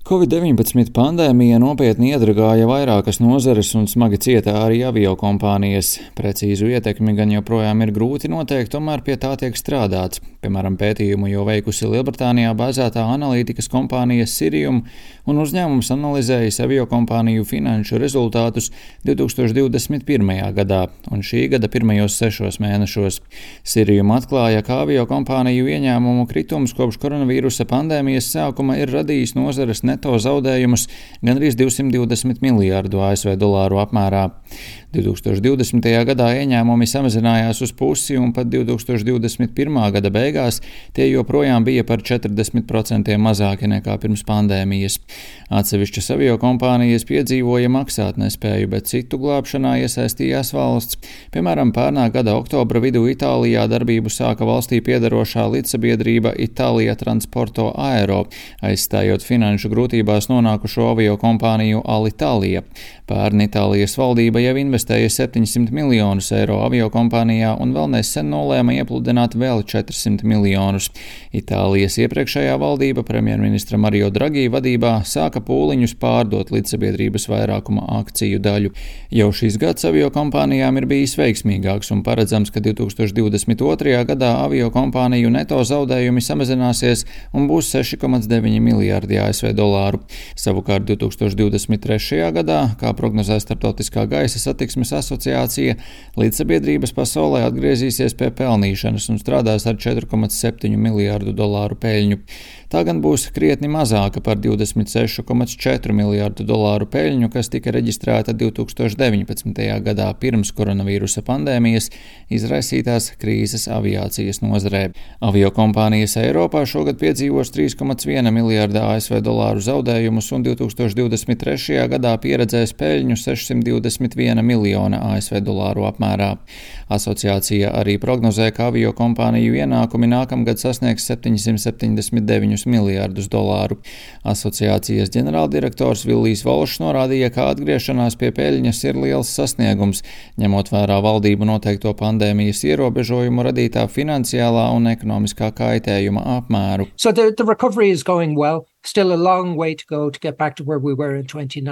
Covid-19 pandēmija nopietni iedragāja vairākas nozares un smagi cieta arī aviokompānijas. Precīzu ietekmi gan joprojām ir grūti noteikt, tomēr pie tā tiek strādāts. Piemēram, pētījumu jau veikusi Lielbritānijā bāzētā analītikas kompānija Cirium, un uzņēmums analizējis aviokompāniju finanšu rezultātus 2021. gadā un šī gada pirmajos 6 mēnešos. Cirium atklāja, ka aviokompāniju ieņēmumu kritums kopš koronavīrusa pandēmijas sākuma ir radījis nozares neto zaudējumus gandrīz 220 miljārdu ASV dolāru apmērā. 2020. gadā ieņēmumi samazinājās uz pusi un pat 2021. gada beigās tie joprojām bija par 40% mazāki nekā pirms pandēmijas. Atsevišķas aviokompānijas piedzīvoja maksātnespēju, bet citu glābšanā iesaistījās valsts. Piemēram, pērnā gada oktobra vidū Itālijā darbību sāka valstī piedarošā līdzsabiedrība Itālija Transporto Aero, aizstājot finanšu grūtībās nonākušo aviokompāniju Alitalia. Pērn Itālijas valdība jau investēja 700 miljonus eiro aviokompānijā un vēl nesen nolēma iepludināt vēl 400 miljonus. Itālijas iepriekšējā valdība premjerministra Mario Draghi vadībā sāka pūliņus pārdot līdzsabiedrības vairākuma akciju daļu. Jau šis gads aviokompānijām ir bijis veiksmīgāks un paredzams, ka 2022. gadā aviokompāniju neto zaudējumi samazināsies un būs 6,9 miljārdi ASV dolāru. Savukārt 2023. gadā, kā prognozē Starptautiskā gaisa satiksmes asociācija, līdzsabiedrības pasaulē atgriezīsies pie pelnīšanas un strādās ar 4,7 miljārdu dolāru peļņu. Tā gan būs krietni mazāka par 26,4 miljārdu dolāru peļņu, kas tika reģistrēta 2019. gadā pirms koronavīrusa pandēmijas izraisītās krīzes aviācijas nozarē. Aviokompānijas Eiropā šogad piedzīvos 3,1 miljārda ASV dolāru zaudējumus un 2023. gadā pieredzēs peļņu 621 miljona ASV dolāru apmērā. Asociācija arī prognozē, ka aviokompāniju ienākumi nākamgad sasniegs 779 miljārdus dolāru. Asociācijas ģenerāldirektors Villijs Volšs norādīja, ka atgriešanās pie peļņas ir liels sasniegums, ņemot vērā valdību noteikto pandēmijas ierobežojumu radītā finansiālā un ekonomiskā kaitējuma apmēru.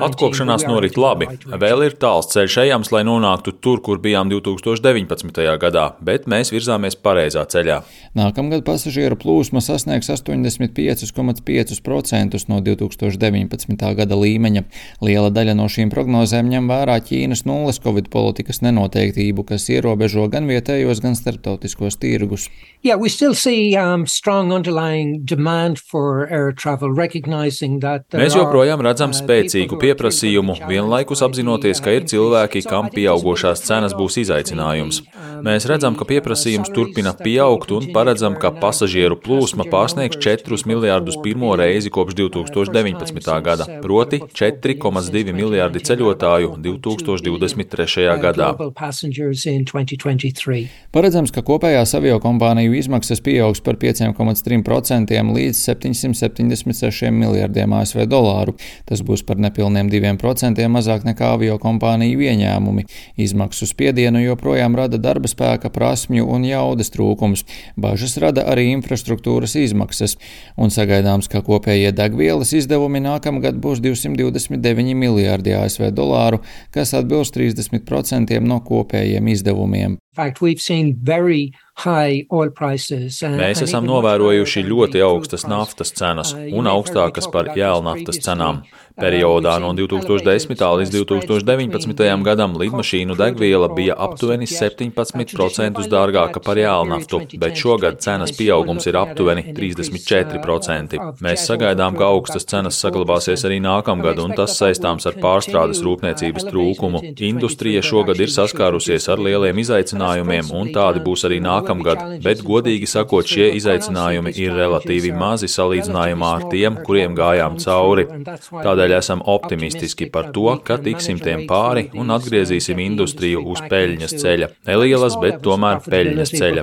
Atkopšanās norit labi. Vēl ir tāls ceļš ejams, lai nonāktu tur, kur bijām 2019. gadā, bet mēs virzāmies pareizā ceļā. Nākamgad pasažieru plūsma sasniegs 85,5% no 2019. gada līmeņa. Liela daļa no šīm prognozēm ņem vērā Ķīnas nulles Covid politikas nenoteiktību, kas ierobežo gan vietējos, gan starptautiskos tirgus. We still see strong underlying demand for air travel. Mēs joprojām redzam spēcīgu pieprasījumu, vienlaikus apzinoties, ka ir cilvēki, kam pieaugošās cenas būs izaicinājums. Mēs redzam, ka pieprasījums turpina pieaugt un paredzam, ka pasažieru plūsma pārsniegs 4 miljārdus pirmo reizi kopš 2019. gada, proti 4,2 miljārdi ceļotāju 2023. gadā. Paredzams, ka kopējās aviokompāniju izmaksas pieaugs par 5,3% līdz 776 miljardiem ASV dolāru. Tas būs par nepilniem 2% mazāk nekā aviokompāniju ieņēmumi. Izmaksu spiedienu joprojām rada darba spēka, prasmju un jaudas trūkums. Bažas rada arī infrastruktūras izmaksas. Un sagaidāms, ka kopējie degvielas izdevumi nākamgad būs 229 miljārdi ASV dolāru, kas atbilst 30% no kopējiem izdevumiem. Mēs esam novērojuši ļoti augstas naftas cenas un augstākas par jēlnaftas cenām. Periodā no 2010. līdz 2019. gadam lidmašīnu degviela bija aptuveni 17% dārgāka par jēlnaftu, bet šogad cenas pieaugums ir aptuveni 34%. Mēs sagaidām, ka augstas cenas saglabāsies arī nākamgad, un tas saistāms ar pārstrādes rūpniecības trūkumu. Industrija šogad ir saskārusies ar lieliem izaicinājumiem, un tādi būs arī nākamgad, bet godīgi sakot, šie izaicinājumi ir relatīvi mazi salīdzinājumā ar tiem, kuriem gājām cauri. Tādēļ esam optimistiski par to, ka tiksim tiem pāri un atgriezīsim industriju uz peļņas ceļa. Nelielas, bet tomēr peļņas ceļa.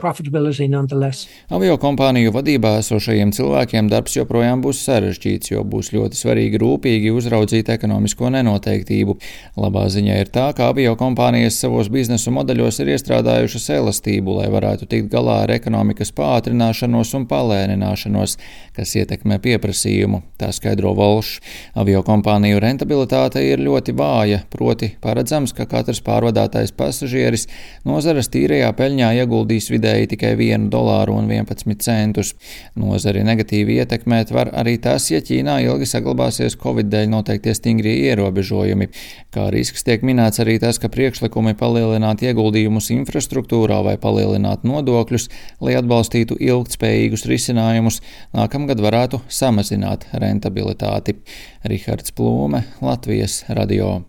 Aviokompāniju vadībā esošajiem cilvēkiem darbs joprojām būs sarežģīts, jo būs ļoti svarīgi rūpīgi uzraudzīt ekonomisko nenoteiktību. Labā ziņa ir tā, ka aviokompānijas savos biznesa modeļos ir iestrādājušas izstrādājušas elastību, lai varētu tikt galā ar ekonomikas pātrināšanos un palēnināšanos, kas ietekmē pieprasījumu, tā skaidro Volšs. Aviokompāniju rentabilitāte ir ļoti vāja, proti paredzams, ka katrs pārvadātais pasažieris nozares tīrajā peļņā ieguldīs vidēji tikai $1,11. Nozari negatīvi ietekmēt var arī tas, ja Ķīnā ilgi saglabāsies Covid dēļ noteiktie stingrie ierobežojumi. Kā risks tiek minēts arī tas, ka priekšlikumi palielināt ieguldījumus infrastruktūrā vai palielināt nodokļus, lai atbalstītu ilgtspējīgus risinājumus, nākamgad varētu samazināt rentabilitāti. Rihards Plūme, Latvijas radio.